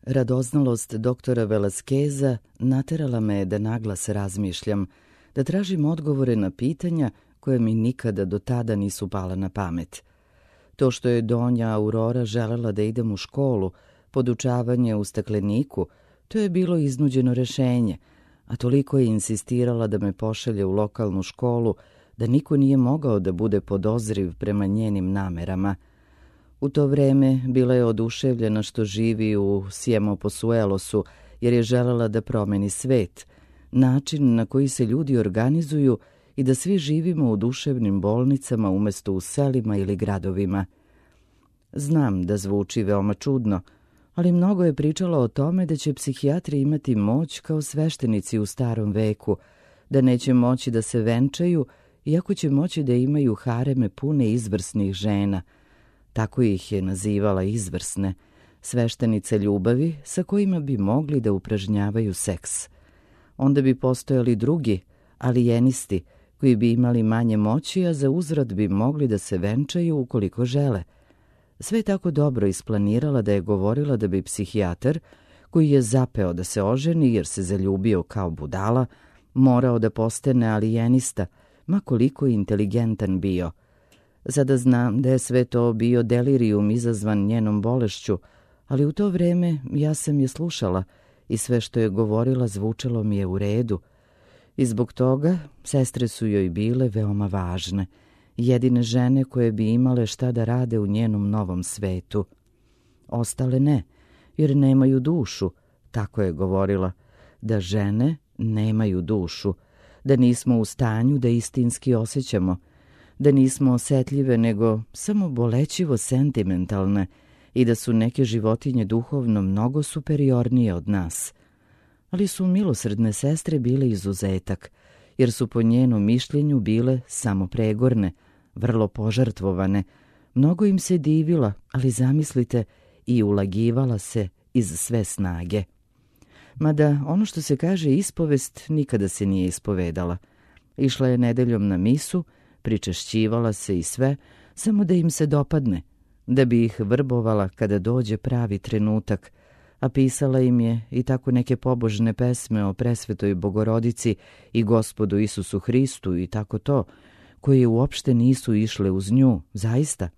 Radoznalost doktora Velaskeza naterala me da naglas razmišljam, da tražim odgovore na pitanja koje mi nikada do tada nisu pala na pamet. To što je Donja Aurora želela da idem u školu, podučavanje u stakleniku, to je bilo iznuđeno rešenje, a toliko je insistirala da me pošalje u lokalnu školu da niko nije mogao da bude podozriv prema njenim namerama. U to vreme bila je oduševljena što živi u Sjemoposuelosu, jer je želela da promeni svet, način na koji se ljudi organizuju i da svi živimo u duševnim bolnicama umesto u selima ili gradovima. Znam da zvuči veoma čudno, ali mnogo je pričala o tome da će psihijatri imati moć kao sveštenici u starom veku, da neće moći da se venčaju, iako će moći da imaju hareme pune izvrsnih žena. Tako ih je nazivala izvrsne, sveštenice ljubavi sa kojima bi mogli da upražnjavaju seks. Onda bi postojali drugi, alijenisti, koji bi imali manje moći, a za uzvrat bi mogli da se venčaju ukoliko žele. Sve je tako dobro isplanirala da je govorila da bi psihijatar, koji je zapeo da se oženi jer se zaljubio kao budala, morao da postane alijenista, ma koliko inteligentan bio. Sada znam da je sve to bio delirijum izazvan njenom bolešću, ali u to vreme ja sam je slušala i sve što je govorila zvučalo mi je u redu. I zbog toga sestre su joj bile veoma važne, jedine žene koje bi imale šta da rade u njenom novom svetu. Ostale ne, jer nemaju dušu, tako je govorila, da žene nemaju dušu, da nismo u stanju da istinski osjećamo, da nismo osetljive nego samo bolećivo sentimentalne i da su neke životinje duhovno mnogo superiornije od nas. Ali su milosrdne sestre bile izuzetak, jer su po njenom mišljenju bile samo pregorne, vrlo požrtvovane, mnogo im se divila, ali zamislite, i ulagivala se iz sve snage. Mada ono što se kaže ispovest nikada se nije ispovedala. Išla je nedeljom na misu, pričešćivala se i sve, samo da im se dopadne, da bi ih vrbovala kada dođe pravi trenutak, a pisala im je i tako neke pobožne pesme o presvetoj Bogorodici i Gospodu Isusu Hristu i tako to, koje uopšte nisu išle uz nju, zaista.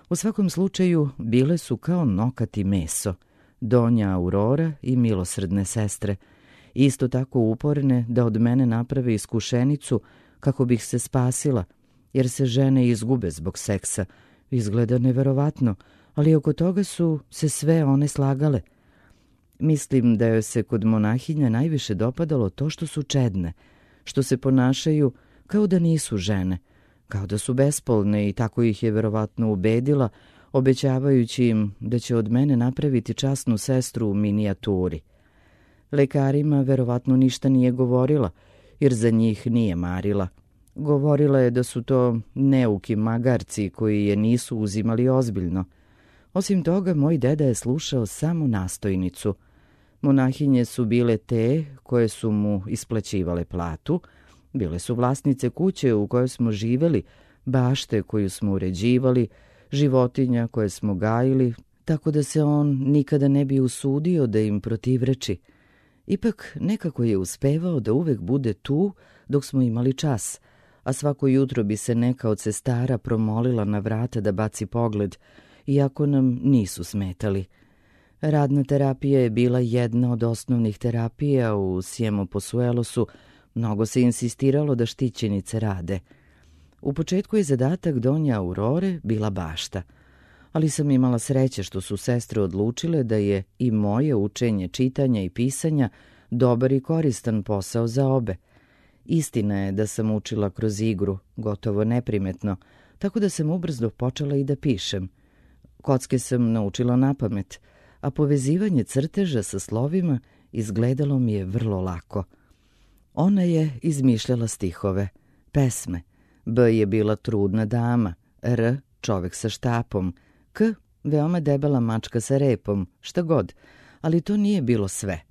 U svakom slučaju bile su kao nokat i meso, Donja Aurora i milosrdne sestre, isto tako uporne da od mene naprave iskušenicu kako bih se spasila, jer se žene izgube zbog seksa. Izgleda neverovatno, ali oko toga su se sve one slagale. Mislim da joj se kod monahinja najviše dopadalo to što su čedne, što se ponašaju kao da nisu žene, kao da su bespolne i tako ih je verovatno ubedila, obećavajući im da će od mene napraviti časnu sestru u minijaturi. Lekarima verovatno ništa nije govorila, jer za njih nije marila. Govorila je da su to neuki magarci koji je nisu uzimali ozbiljno. Osim toga, moj deda je slušao samo nastojnicu. Monahinje su bile te koje su mu isplaćivale platu, bile su vlasnice kuće u kojoj smo živeli, bašte koju smo uređivali, životinja koje smo gajili, tako da se on nikada ne bi usudio da im protivreči. Ipak nekako je uspevao da uvek bude tu dok smo imali čas, a svako jutro bi se neka od sestara promolila na vrata da baci pogled, iako nam nisu smetali. Radna terapija je bila jedna od osnovnih terapija u Sjemoposuelosu, mnogo se insistiralo da štićenice rade. U početku je zadatak Donje Aurore bila bašta, ali sam imala sreće što su sestre odlučile da je i moje učenje čitanja i pisanja dobar i koristan posao za obe. Istina je da sam učila kroz igru, gotovo neprimetno, tako da sam ubrzo počela i da pišem. Kocke sam naučila napamet, a povezivanje crteža sa slovima izgledalo mi je vrlo lako. Ona je izmišljala stihove, pesme. B je bila trudna dama, R čovek sa štapom, K veoma debela mačka sa repom, šta god, ali to nije bilo sve.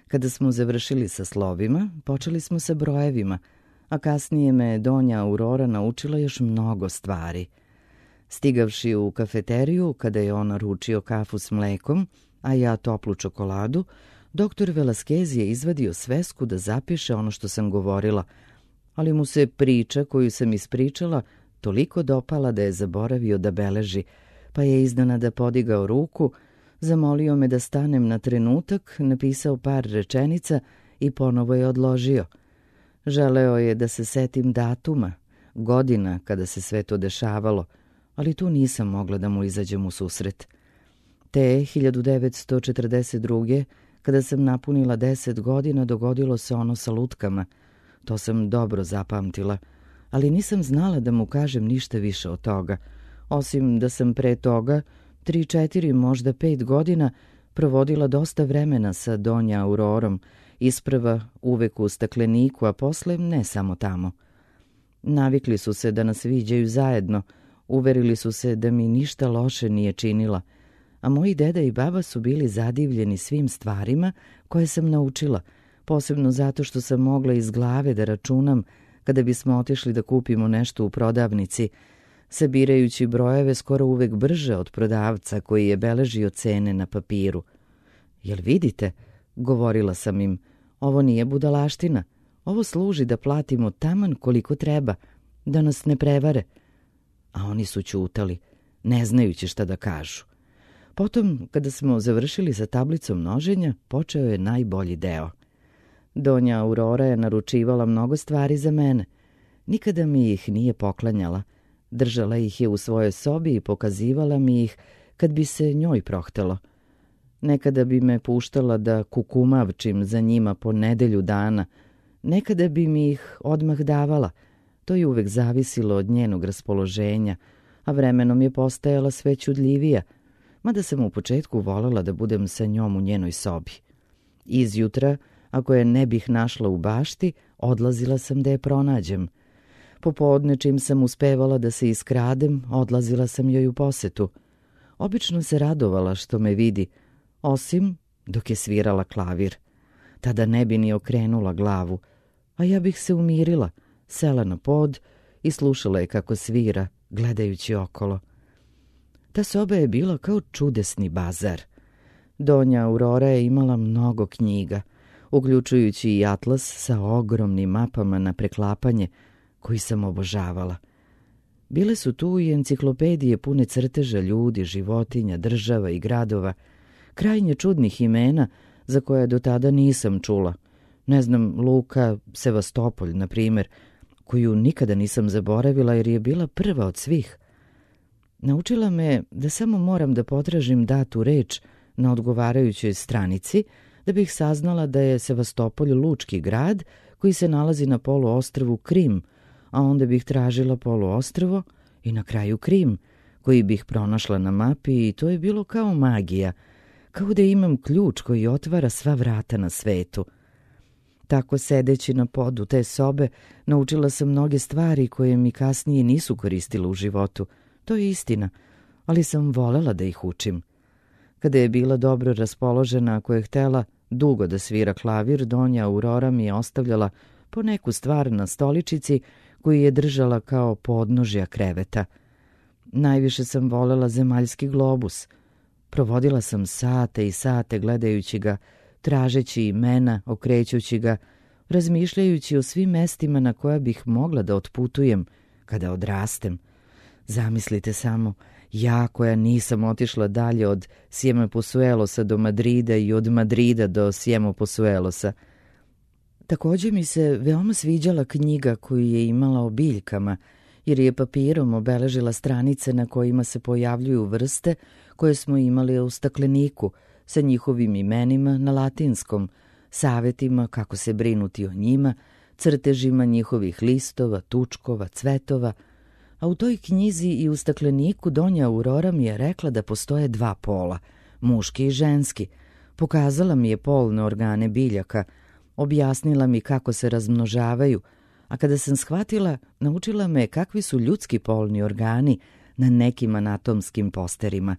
Kada smo završili sa slovima, počeli smo sa brojevima, a kasnije me Donja Aurora naučila još mnogo stvari. Stigavši u kafeteriju, kada je on naručio kafu s mlekom, a ja toplu čokoladu, doktor Velasquez je izvadio svesku da zapiše ono što sam govorila, ali mu se priča koju sam ispričala toliko dopala da je zaboravio da beleži, pa je iznenada podigao ruku, zamolio me da stanem na trenutak, napisao par rečenica i ponovo je odložio. Želeo je da se setim datuma, godina kada se sve to dešavalo, ali tu nisam mogla da mu izađem u susret. Te 1942. kada sam napunila 10 godina, dogodilo se ono sa lutkama. To sam dobro zapamtila, ali nisam znala da mu kažem ništa više od toga, osim da sam pre toga 3, 4, možda 5 godina provodila dosta vremena sa Donja Aurorom, isprva uvek u stakleniku, a posle ne samo tamo. Navikli su se da nas viđaju zajedno, uverili su se da mi ništa loše nije činila, a moji deda i baba su bili zadivljeni svim stvarima koje sam naučila, posebno zato što sam mogla iz glave da računam kada bismo otišli da kupimo nešto u prodavnici, sabirajući brojeve skoro uvek brže od prodavca koji je beležio cene na papiru. Jel vidite, govorila sam im, ovo nije budalaština, ovo služi da platimo taman koliko treba, da nas ne prevare. A oni su ćutali, ne znajući šta da kažu. Potom, kada smo završili sa tablicom množenja, počeo je najbolji deo. Donja Aurora je naručivala mnogo stvari za mene. Nikada mi ih nije poklanjala. Držala ih je u svojoj sobi i pokazivala mi ih kad bi se njoj prohtelo. Nekada bi me puštala da kukumavčim za njima po nedelju dana. Nekada bi mi ih odmah davala. To je uvek zavisilo od njenog raspoloženja, a vremenom je postajala sve čudljivija, mada sam u početku volela da budem sa njom u njenoj sobi. Izjutra, ako je ne bih našla u bašti, odlazila sam da je pronađem. Popodne, čim sam uspevala da se iskradem, odlazila sam joj u posetu. Obično se radovala što me vidi, osim dok je svirala klavir. Tada ne bi ni okrenula glavu, a ja bih se umirila, sela na pod i slušala je kako svira, gledajući okolo. Ta soba je bila kao čudesni bazar. Donja Aurora je imala mnogo knjiga, uključujući i atlas sa ogromnim mapama na preklapanje, koji sam obožavala. Bile su tu i enciklopedije pune crteža ljudi, životinja, država i gradova, krajnje čudnih imena za koje do tada nisam čula. Ne znam, Luka Sevastopolj, na primjer, koju nikada nisam zaboravila jer je bila prva od svih. Naučila me da samo moram da potražim datu reč na odgovarajućoj stranici da bih saznala da je Sevastopolj lučki grad koji se nalazi na poluostrvu Krim, a onda bih tražila poluostrvo i na kraju Krim, koji bih pronašla na mapi i to je bilo kao magija, kao da imam ključ koji otvara sva vrata na svetu. Tako sedeći na podu te sobe, naučila sam mnoge stvari koje mi kasnije nisu koristile u životu. To je istina, ali sam volela da ih učim. Kada je bila dobro raspoložena, ako je htela dugo da svira klavir, Donja Aurora mi je ostavljala po neku stvar na stoličici koju je držala kao podnožja kreveta. Najviše sam volela zemaljski globus. Provodila sam sate i sate gledajući ga, tražeći imena, okrećući ga, razmišljajući o svim mestima na koja bih mogla da otputujem kada odrastem. Zamislite samo, ja koja nisam otišla dalje od Siemoposuelosa do Madrida i od Madrida do Siemoposuelosa. Također mi se veoma sviđala knjiga koju je imala o biljkama, jer je papirom obeležila stranice na kojima se pojavljuju vrste koje smo imali u stakleniku, sa njihovim imenima na latinskom, savetima kako se brinuti o njima, crtežima njihovih listova, tučkova, cvetova, a u toj knjizi i u stakleniku Donja Aurora mi je rekla da postoje dva pola, muški i ženski. Pokazala mi je polne organe biljaka, objasnila mi kako se razmnožavaju, a kada sam shvatila, naučila me kakvi su ljudski polni organi na nekim anatomskim posterima.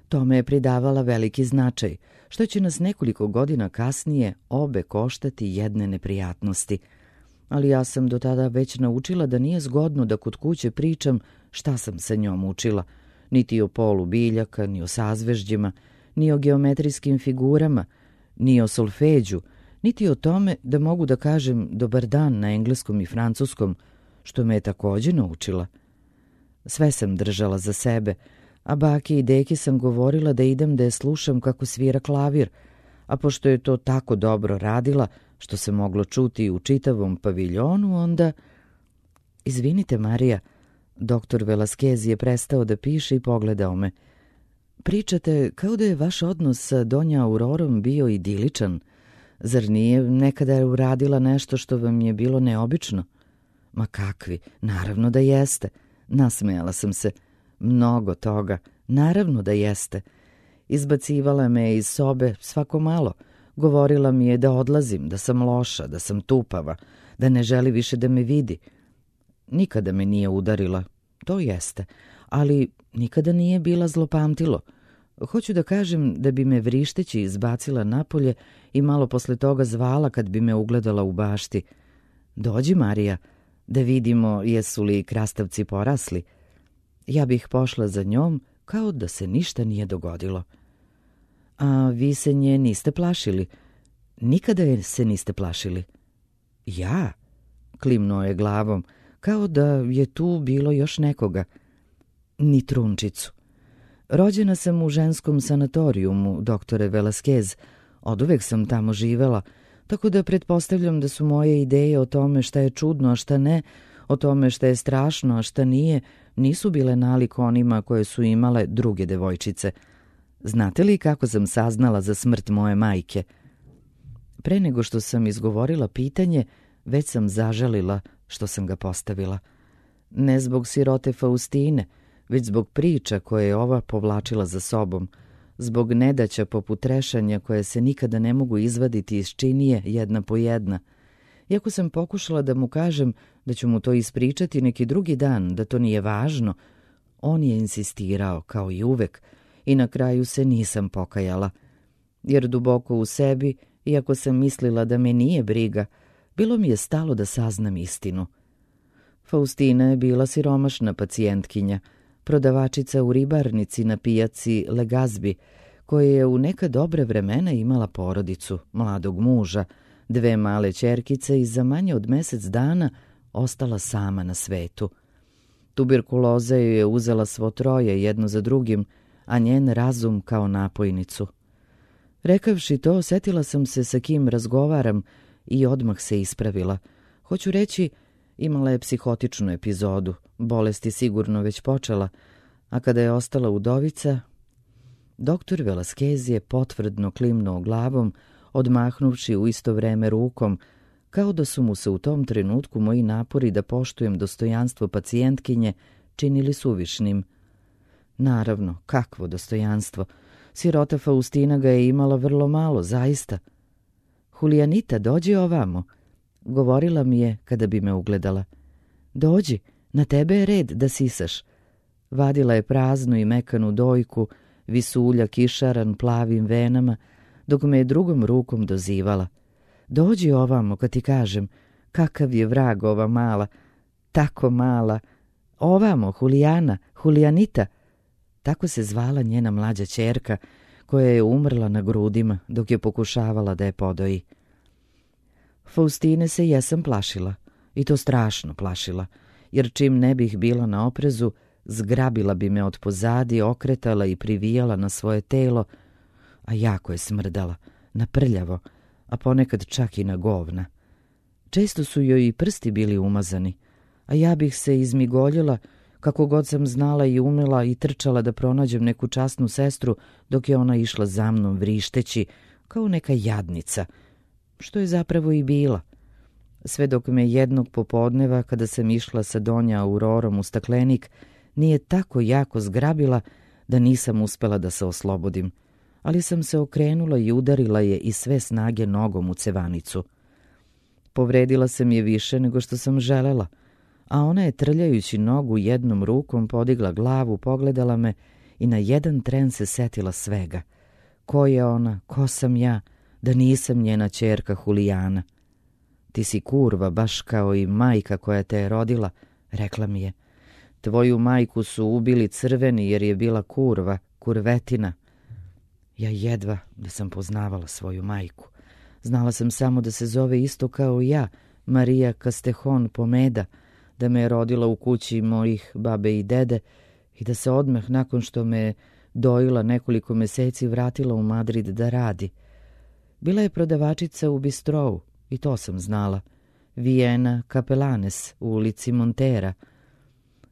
To me je pridavala veliki značaj, što će nas nekoliko godina kasnije obe koštati jedne neprijatnosti. Ali ja sam do tada već naučila da nije zgodno da kod kuće pričam šta sam sa njom učila, niti o polu biljaka, ni o sazvežđima, ni o geometrijskim figurama, ni o solfeđu, niti o tome da mogu da kažem dobar dan na engleskom i francuskom, što me je takođe naučila. Sve sam držala za sebe, a baki i deki sam govorila da idem da je slušam kako svira klavir, a pošto je to tako dobro radila, što se moglo čuti u čitavom paviljonu, onda... Izvinite, Marija, doktor Velasquez je prestao da piše i pogledao me. Pričate kao da je vaš odnos sa Donja Aurorom bio idiličan. Zar nije nekada uradila nešto što vam je bilo neobično? Ma kakvi, naravno da jeste. Nasmejala sam se. Mnogo toga, naravno da jeste. Izbacivala me iz sobe svako malo. Govorila mi je da odlazim, da sam loša, da sam tupava, da ne želi više da me vidi. Nikada me nije udarila, to jeste, ali nikada nije bila zlopamtilo. Hoću da kažem da bi me vrišteći izbacila napolje i malo posle toga zvala kad bi me ugledala u bašti. Dođi, Marija, da vidimo jesu li krastavci porasli. Ja bih pošla za njom kao da se ništa nije dogodilo. A vi se nje niste plašili? Nikada je se niste plašili? Ja? Klimnuo je glavom, kao da je tu bilo još nekoga. Ni trunčicu. Rođena sam u ženskom sanatorijumu, doktore Velasquez. Oduvek sam tamo živela, tako da pretpostavljam da su moje ideje o tome šta je čudno, a šta ne, o tome šta je strašno, a šta nije, nisu bile nalik onima koje su imale druge devojčice. Znate li kako sam saznala za smrt moje majke? Pre nego što sam izgovorila pitanje, već sam zažalila što sam ga postavila. Ne zbog sirote Faustine, već zbog priča koje je ova povlačila za sobom, zbog nedaća poput trešanja koje se nikada ne mogu izvaditi iz činije jedna po jedna. Iako sam pokušala da mu kažem da ću mu to ispričati neki drugi dan, da to nije važno, on je insistirao, kao i uvek, i na kraju se nisam pokajala. Jer duboko u sebi, iako sam mislila da me nije briga, bilo mi je stalo da saznam istinu. Faustina je bila siromašna pacijentkinja, prodavačica u ribarnici na pijaci Legazbi, koja je u neka dobre vremena imala porodicu, mladog muža, 2 male ćerkice i za manje od mesec dana ostala sama na svetu. Tuberkuloza joj je uzela svo troje jedno za drugim, a njen razum kao napojnicu. Rekavši to, setila sam se sa kim razgovaram i odmah se ispravila. Hoću reći, imala je psihotičnu epizodu, bolest je sigurno već počela, a kada je ostala udovica... Doktor Velasquez je potvrdno klimnuo glavom, odmahnuvši u isto vreme rukom, kao da su mu se u tom trenutku moji napori da poštujem dostojanstvo pacijentkinje činili suvišnim. Naravno, kakvo dostojanstvo. Sirota Faustina ga je imala vrlo malo, zaista. Julianita, dođi ovamo, govorila mi je kada bi me ugledala. Dođi, na tebe je red da sisaš. Vadila je praznu i mekanu dojku, visulja kišaran plavim venama, dok me je drugom rukom dozivala. Dođi ovamo, kad ti kažem, kakav je vrag ova mala, tako mala. Ovamo, Julijana, Julianita. Tako se zvala njena mlađa ćerka, koja je umrla na grudima dok je pokušavala da je podoji. Faustine se jesam plašila, i to strašno plašila, jer čim ne bih bila na oprezu, zgrabila bi me od pozadi, okretala i privijala na svoje telo, a jako je smrdala, na prljavo, a ponekad čak i na govna. Često su joj i prsti bili umazani, a ja bih se izmigoljila kako god sam znala i umela i trčala da pronađem neku časnu sestru dok je ona išla za mnom vrišteći kao neka jadnica, što je zapravo i bila. Sve dok me jednog popodneva, kada sam išla sa Donja Aurorom u staklenik, nije tako jako zgrabila da nisam uspela da se oslobodim, ali sam se okrenula i udarila je iz sve snage nogom u cevanicu. Povredila sam je više nego što sam želela, a ona je trljajući nogu jednom rukom podigla glavu, pogledala me i na jedan tren se setila svega. Ko je ona, ko sam ja, da nisam njena ćerka Julijana. Ti si kurva, baš kao i majka koja te je rodila, rekla mi je. Tvoju majku su ubili crveni jer je bila kurva, kurvetina. Ja jedva da sam poznavala svoju majku. Znala sam samo da se zove isto kao i ja, Marija Castejón Pomeda, da me je rodila u kući mojih babe i dede i da se odmah nakon što me je dojila nekoliko meseci vratila u Madrid da radi. Bila je prodavačica u bistrou, i to sam znala. Vijena Capelanes u ulici Montera.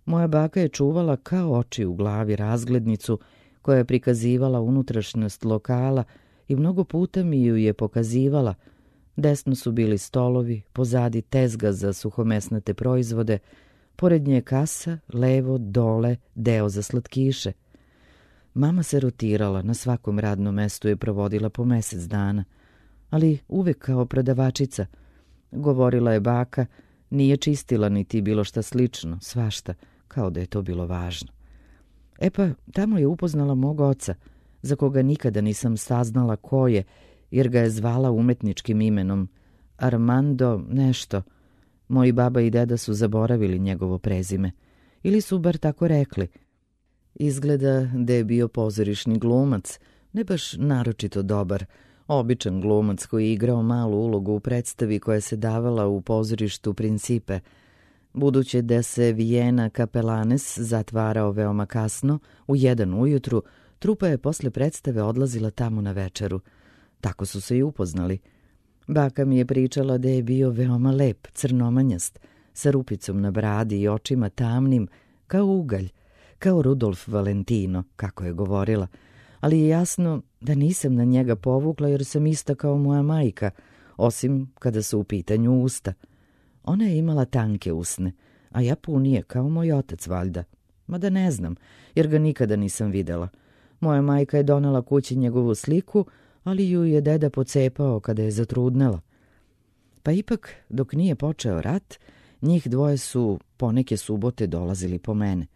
Moja baka je čuvala kao oči u glavi razglednicu koja je prikazivala unutrašnjost lokala i mnogo puta mi ju je pokazivala. Desno su bili stolovi, pozadi tezga za suhomesnate proizvode, pored nje kasa, levo, dole, deo za slatkiše. Mama se rotirala, na svakom radnom mestu je provodila po mesec dana, ali uvek kao prodavačica. Govorila je baka, nije čistila niti bilo šta slično, svašta, kao da je to bilo važno. E pa, tamo je upoznala mog oca, za koga nikada nisam saznala ko je, jer ga je zvala umetničkim imenom, Armando nešto. Moji baba i deda su zaboravili njegovo prezime, ili su bar tako rekli. Izgleda da je bio pozorišni glumac, ne baš naročito dobar, običan glumac koji je igrao malu ulogu u predstavi koja se davala u pozorištu Principe. Budući da se Vijena Capelanes zatvarao veoma kasno, u 1 ujutru, trupa je posle predstave odlazila tamo na večeru. Tako su se i upoznali. Baka mi je pričala da je bio veoma lep, crnomanjast, sa rupicom na bradi i očima tamnim, kao ugalj, kao Rudolf Valentino, kako je govorila, ali je jasno da nisam na njega povukla jer sam ista kao moja majka, osim kada su u pitanju usta. Ona je imala tanke usne, a ja punije kao moj otac valjda. Mada ne znam, jer ga nikada nisam videla. Moja majka je donela kući njegovu sliku, ali ju je deda pocepao kada je zatrudnela. Pa ipak, dok nije počeo rat, njih dvoje su poneke subote dolazili po mene.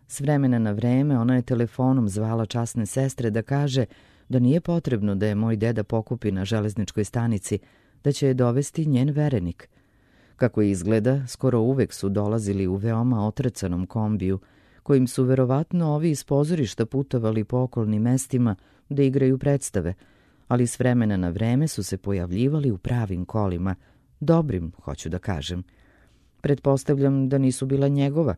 S vremena na vreme ona je telefonom zvala časne sestre da kaže da nije potrebno da je moj deda pokupi na železničkoj stanici, da će je dovesti njen verenik. Kako izgleda, skoro uvek su dolazili u veoma otrcanom kombiju, kojim su verovatno ovi iz pozorišta putovali po okolnim mestima da igraju predstave, ali s vremena na vreme su se pojavljivali u pravim kolima, dobrim, hoću da kažem. Pretpostavljam da nisu bila njegova,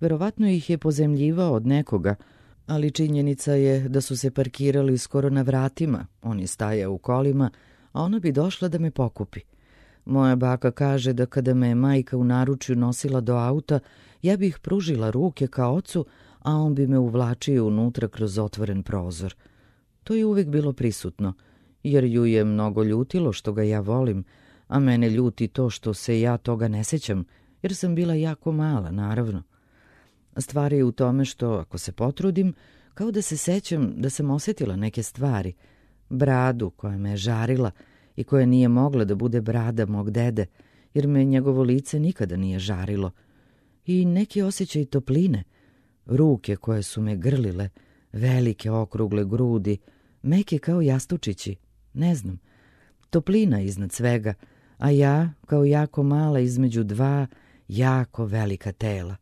verovatno ih je pozemljivao od nekoga, ali činjenica je da su se parkirali skoro na vratima, on je stajao u kolima, a ona bi došla da me pokupi. Moja baka kaže da kada me je majka u naručju nosila do auta, ja bih pružila ruke ka ocu, a on bi me uvlačio unutra kroz otvoren prozor. To je uvek bilo prisutno, jer ju je mnogo ljutilo što ga ja volim, a mene ljuti to što se ja toga ne sećam, jer sam bila jako mala, naravno. Stvar je u tome što, ako se potrudim, kao da se sećam da sam osjetila neke stvari, bradu koja me je žarila i koja nije mogla da bude brada mog dede, jer me njegovo lice nikada nije žarilo, i neki osjećaj topline, ruke koje su me grlile, velike okrugle grudi, meke kao jastučići, ne znam, toplina iznad svega, a ja kao jako mala između dva jako velika tela.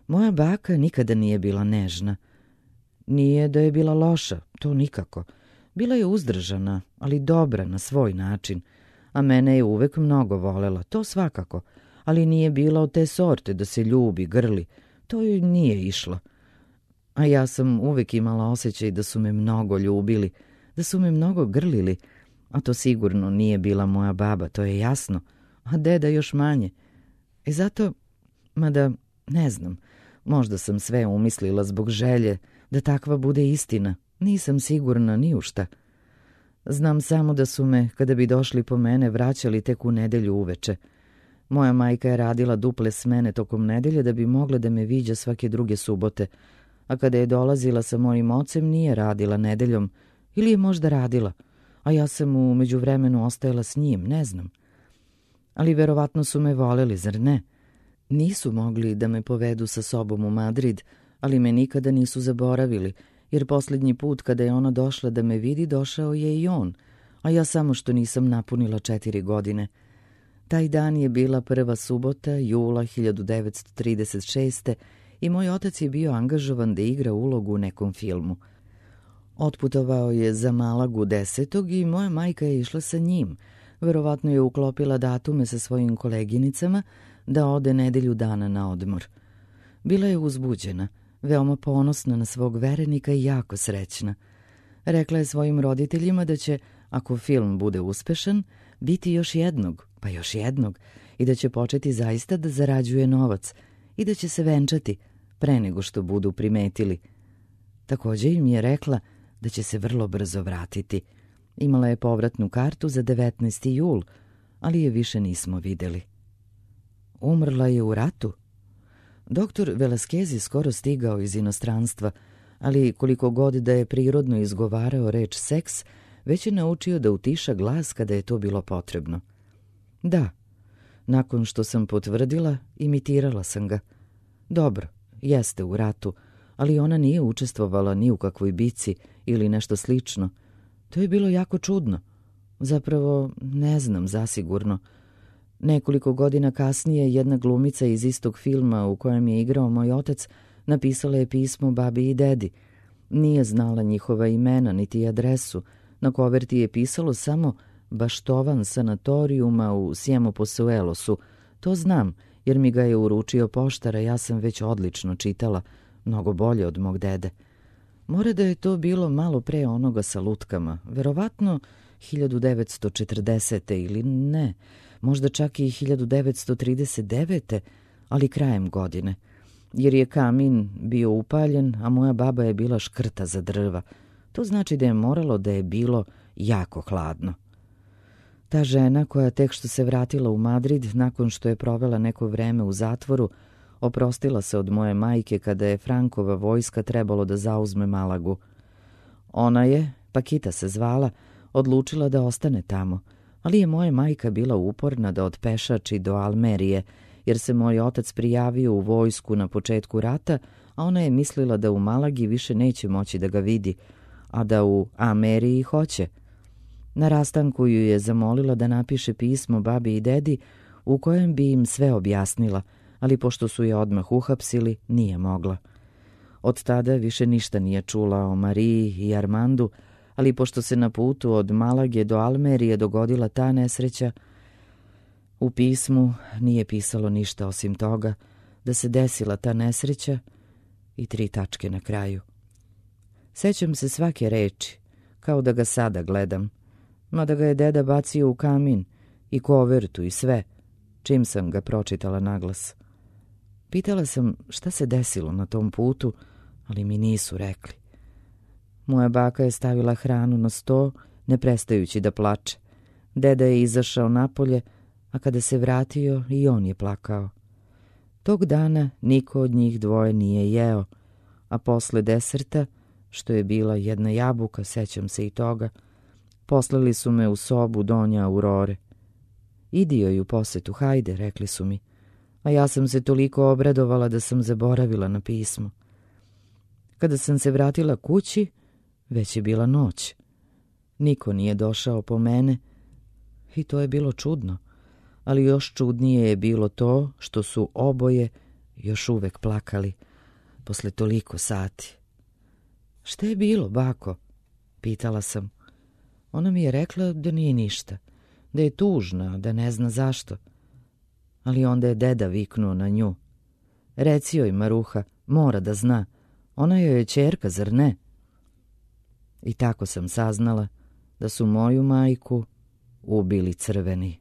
Moja baka nikada nije bila nežna. Nije da je bila loša, to nikako. Bila je uzdržana, ali dobra na svoj način, a mene je uvek mnogo volela, to svakako, ali nije bila od te sorte da se ljubi, grli, to joj nije išlo. A ja sam uvek imala osjećaj da su me mnogo ljubili, da su me mnogo grlili, a to sigurno nije bila moja baba, to je jasno, a deda još manje. I zato, mada ne znam, možda sam sve umislila zbog želje da takva bude istina, nisam sigurna ni u šta. Znam samo da su me, kada bi došli po mene, vraćali tek u nedelju uveče. Moja majka je radila duple smene tokom nedelje da bi mogla da me viđa svake druge subote, a kada je dolazila sa mojim ocem nije radila nedeljom, ili je možda radila, a ja sam u međuvremenu ostajala s njim, ne znam. Ali verovatno su me voleli, zar ne? Nisu mogli da me povedu sa sobom u Madrid, ali me nikada nisu zaboravili, jer posljednji put kada je ona došla da me vidi, došao je i on, a ja samo što nisam napunila 4 godine. Taj dan je bila prva subota, jula 1936. i moj otac je bio angažovan da igra ulogu u nekom filmu. Otputovao je za Malagu 10. i moja majka je išla sa njim. Verovatno je uklopila datume sa svojim koleginicama da ode nedelju dana na odmor. Bila je uzbuđena, veoma ponosna na svog verenika i jako srećna. Rekla je svojim roditeljima da će, ako film bude uspešan, biti još jednog, pa još jednog, i da će početi zaista da zarađuje novac i da će se venčati pre nego što budu primetili. Također im je rekla da će se vrlo brzo vratiti. Imala je povratnu kartu za 19. jul, ali je više nismo videli. Umrla je u ratu? Doktor Velasquez je skoro stigao iz inostranstva, ali koliko god da je prirodno izgovarao reč seks, već je naučio da utiša glas kada je to bilo potrebno. Da, nakon što sam potvrdila, imitirala sam ga. Dobro, jeste u ratu, ali ona nije učestvovala ni u kakvoj bici ili nešto slično. To je bilo jako čudno. Zapravo, ne znam zasigurno. Nekoliko godina kasnije jedna glumica iz istog filma u kojem je igrao moj otac napisala je pismo babi i dedi. Nije znala njihova imena niti adresu. Na koverti je pisalo samo Baštovan sanatorijuma u Sjemoposuelosu. To znam, jer mi ga je uručio poštar, a ja sam već odlično čitala, mnogo bolje od mog dede. Mora da je to bilo malo pre onoga sa lutkama, verovatno 1940. ili ne, možda čak i 1939. ali krajem godine, jer je kamin bio upaljen, a moja baba je bila škrta za drva. To znači da je moralo da je bilo jako hladno. Ta žena koja tek što se vratila u Madrid nakon što je provela neko vreme u zatvoru, oprostila se od moje majke kada je Frankova vojska trebalo da zauzme Malagu. Ona je, Pakita se zvala, odlučila da ostane tamo, ali je moja majka bila uporna da odpešači do Almerije, jer se moj otac prijavio u vojsku na početku rata, a ona je mislila da u Malagi više neće moći da ga vidi, a da u Ameriji hoće. Na rastanku ju je zamolila da napiše pismo babi i dedi u kojem bi im sve objasnila, ali pošto su je odmah uhapsili, nije mogla. Od tada više ništa nije čula o Mariji i Armandu, ali pošto se na putu od Malage do Almerije dogodila ta nesreća, u pismu nije pisalo ništa osim toga da se desila ta nesreća i 3 tačke na kraju. Sećam se svake reči, kao da ga sada gledam, mada ga je deda bacio u kamin i kovertu i sve, čim sam ga pročitala naglas. Pitala sam šta se desilo na tom putu, ali mi nisu rekli. Moja baka je stavila hranu na sto, ne prestajući da plače. Deda je izašao napolje, a kada se vratio i on je plakao. Tog dana niko od njih dvoje nije jeo, a posle deserta, što je bila jedna jabuka, sećam se i toga, poslali su me u sobu donja Aurore. Idi joj u posetu, hajde, rekli su mi, a ja sam se toliko obradovala da sam zaboravila na pismo. Kada sam se vratila kući, već je bila noć. Niko nije došao po mene i to je bilo čudno, ali još čudnije je bilo to što su oboje još uvek plakali posle toliko sati. Šta je bilo, bako? Pitala sam. Ona mi je rekla da nije ništa, da je tužna, da ne zna zašto. Ali onda je deda viknuo na nju. Reci joj, Maruha, mora da zna. Ona joj je ćerka, zar ne? I tako sam saznala da su moju majku ubili crveni.